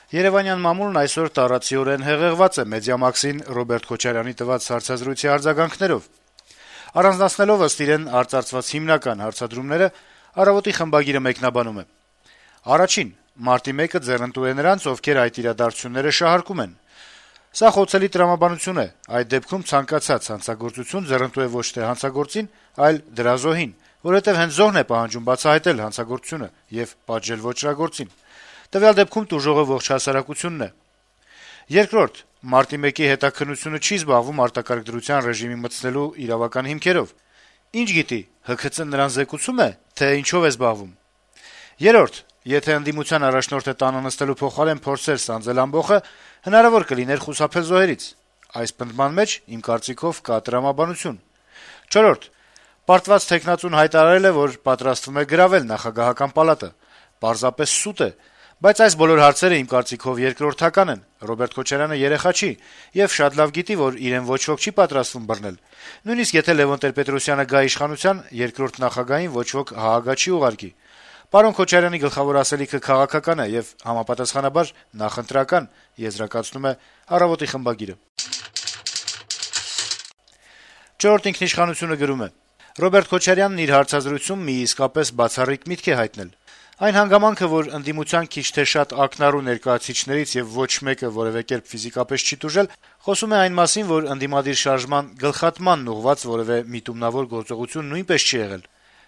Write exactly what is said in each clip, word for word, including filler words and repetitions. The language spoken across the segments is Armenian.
Երեւանյան մամուլն այսօր տառացիորեն հեղեղված է Մեդիամաքսին Ռոբերտ Քոչարյանի տված հարցազրույցի արձագանքներով: Առանձնացնելով ըստ իրեն արծարծված հիմնական հարցադրումները, «Առավոտ»-ի խմբագիրը մեկնաբանում է. - «Առաջին. Մարտի մեկը ձեռնտու է նրանց, ովքեր այդ իրադարձությունները շահարկում են: Սա խոցելի տրամաբանություն է: Այդ դեպքում ցանկացած հանցագործություն ձեռնտու է ոչ թե հանցագործին, այլ դրա զոհին, որովհետեւ հենց զոհն է պահանջում բացահայտել հանցագործությունը եւ պատժել ոճրագործին: Տվյալ դեպքում տուժողը ողջ հասարակությունն է: Երկրորդ. Մարտի մեկի հետաքննությունը չի զբաղվում արտակարգ դրության ռեժիմի մտցնելու իրավական հիմքերով: Ինչ գիտի, Հ Ք Ց-ն նրան զեկուցո՞ւմ է, թե ինչով է զբաղվում: Երրորդ. Եթե ընդդիմության առաջնորդը տանը նստելու փոխարեն փորձեր սանձել ամբոխը, հնարավոր կլիներ խուսափել զոհերից: Այս պնդման մեջ, իմ կարծիքով, կա տրամաբանություն: Չորրորդ. Պարտված թեկնածուն հայտարարել է, որ պատրաստվում է գրավել նախագահական պալատը: Պարզապես սուտ է: Բայց այս բոլոր հարցերը, իմ կարծիքով, երկրորդական են: Ռոբերտ Քոչարյանը երեխա չի եւ շատ լավ գիտի, որ իրեն ոչ ոք չի պատրաստվում բռնել: Նույնիսկ եթե Լեւոն Տեր-Պետրոսյանը գա իշխանության, երկրորդ նախագահին ոչ ոք ՀԱԱԳ չի ուղարկի: Պարոն Քոչարյանի գլխավոր ասելիքը քաղաքական է եւ համապատասխանաբար նախընտրական», - եզրակացնում է «Առավոտ»-ի խմբագիրը: «Չորրորդ ինքնիշխանություն»-ը գրում է. - «Ռոբերտ Քոչարյանն իր հարցազրույցում մի իսկապես բացառիկ միտք է հայտնել: Այն հանգամանքը, որ ընդդիմության քիչ թե շատ ակնառու ներկայացուցիչներից եւ ոչ մեկը որեւէ կերպ ֆիզիկապես չի տուժել, խոսում է այն մասին, որ ընդդիմադիր շարժման գլխատմանն ուղղված որեւէ միտումնավոր գործողություն նույնպես չի եղել»: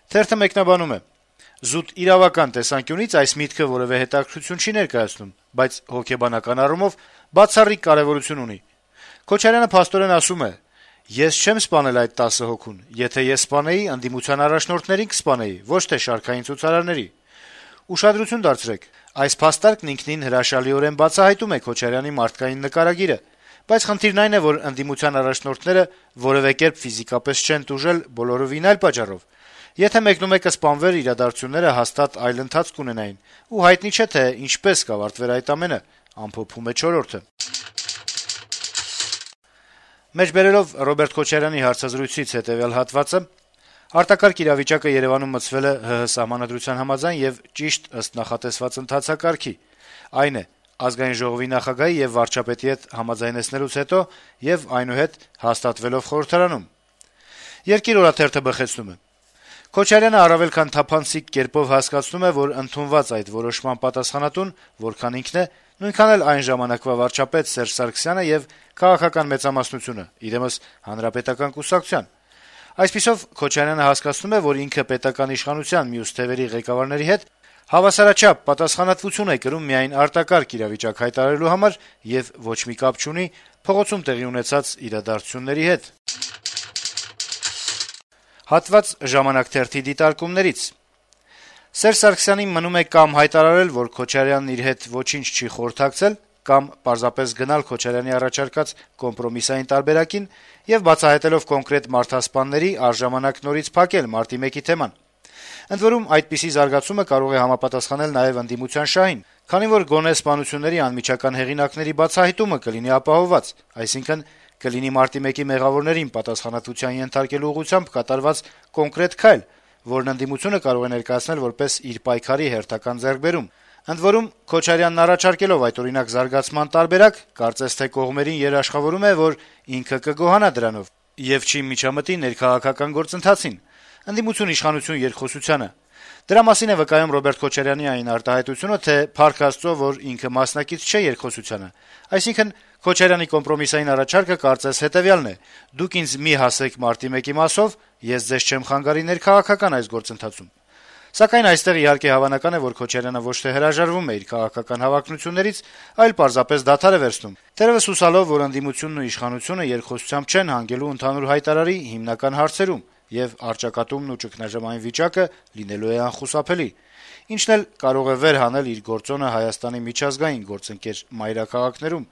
Թերթը մեկնաբանում է. - «Զուտ իրավական տեսանկյունից այս միտքը որեւէ հետաքրքրություն չի ներկայացնում, բայց հոգեբանական առումով բացառիկ կարեւորություն ունի: Քոչարյանը փաստորեն ասում է. «Ես չեմ սպանել այդ տասը հոգուն: Եթե ես սպանեի, ընդդիմության առաջնորդներին կսպանեի, ոչ թե շարքային ցուցարարների»: Ուշադրություն դարձրեք. այս փաստարկն ինքնին հրաշալիորեն բացահայտում է Քոչարյանի մարդկային նկարագիրը, բայց խնդիրն այն է, որ ընդդիմության առաջնորդները որեւէ կերպ ֆիզիկապես չեն տուժել բոլորովին այլ պատճառով: Եթե մեկնումեկը սպանվեր, իրադարձությունները հաստատ այլ ընթացք կունենային, ու հայտնի չէ, թե ինչպես կավարտվեր այդ ամենը»: Մեջբերելով Ռոբերտ Քոչարյանի հարցազրույցից հետեւյալ հատվածը, արտակարգ իրավիճակը Երեւանում մտցվել է ՀՀ սահմանադրության համաձայն եւ ճիշտ ըստ նախատեսված ընթացակարգի, այն է` Ազգային ժողովի նախագահի եւ վարչապետի հետ համաձայնեցնելուց հետո եւ այնուհետ հաստատվելով խորհրդարանում: «Երկիր» օրաթերթը բխեցնում է. - «Քոչարյանը առավել քան թափանցիկ կերպով հասկացնում է, որ ընդունված այդ որոշման պատասխանատուն որքան ինքն է, նույնքան էլ այն ժամանակվա վարչապետ Սերժ Սարգսյանը եւ քաղաքական մեծամասնությունը, իրենս Հանրապետական կուսակցության: Այսպիսով, Քոչարյանը հասկացնում է, որ ինքը պետական իշխանության մյուս թեւերի ղեկավարների հետ հավասարաչափ պատասխանատվություն է կրում միայն արտակարգ իրավիճակ հայտարարելու համար եւ ոչ մի կապ չունի փողոցում տեղի ունեցած իրադարձությունների հետ»: Հատված «Ժամանակ» թերթի դիտարկումներից. - «Սերժ Սարգսյանին մնում է կամ հայտարարել, որ Քոչարյանն իր հետ ոչինչ չի խորհրդակցել, կամ պարզապես գնալ Քոչարյանի առաջարկած կոմպրոմիսային տարբերակին եւ բացահայտելով կոնկրետ մարդասպանների, առժամանակ նորից փակել մարտի մեկի թեման: Ընդ որում, այդպիսի զարգացումը կարող է համապատասխանել նաեւ ընդդիմության շահին, քանի որ գոնե սպանությունների անմիջական հեղինակների բացահայտումը կլինի ապահովված, այսինքն` կլինի մարտի մեկի մեղավորներին պատասխանատվության ենթարկելու ուղղությամբ կատարված կոնկրետ քայլ, որն ընդդիմությունը կարող է ներկայացնել որպես իր պայքարի հերթական ձեռքբերում: Ընդ որում, Քոչարյանն առաջարկելով այդօրինակ զարգացման տարբերակ, կարծես թե կողմերին երաշխավորում է, որ ինքը կգոհանա դրանով եւ չի միջամտի ներքաղաքական գործընթացին, ընդդիմություն-իշխանություն երկխոսությանը: Դրա մասին է վկայում Ռոբերտ Քոչարյանի այն արտահայտությունը, թե փառք Աստծո, որ ինքը մասնակից չէ երկխոսությանը: Այսինքն` Քոչարյանի կոմպրոմիսային առաջարկը կարծես հետեւյալն է. «Դուք ինձ մի հասեք մարտի մեկի մասով, ես ձեզ չեմ խանգարի ներքաղաքական այս գործընթացում»: Սակայն այստեղ, իհարկե, հավանական է, որ Քոչարյանը ոչ թե հրաժարվում է իր քաղաքական հավակնություններից, այլ պարզապես դադար է վերցնում, թերեւս հուսալով, որ ընդդիմությունն ու իշխանությունը երկխոսությամբ չեն հանգելու ընդհանուր հայտարարի հիմնական հարցերում, եւ առճակատումն ու ճգնաժամային վիճակը լինելու է անխուսափելի: Ինչն էլ կարող է վեր հանել իր գործոնը Հայաստանի միջազգային գործընկեր մայրաքաղաքներում»: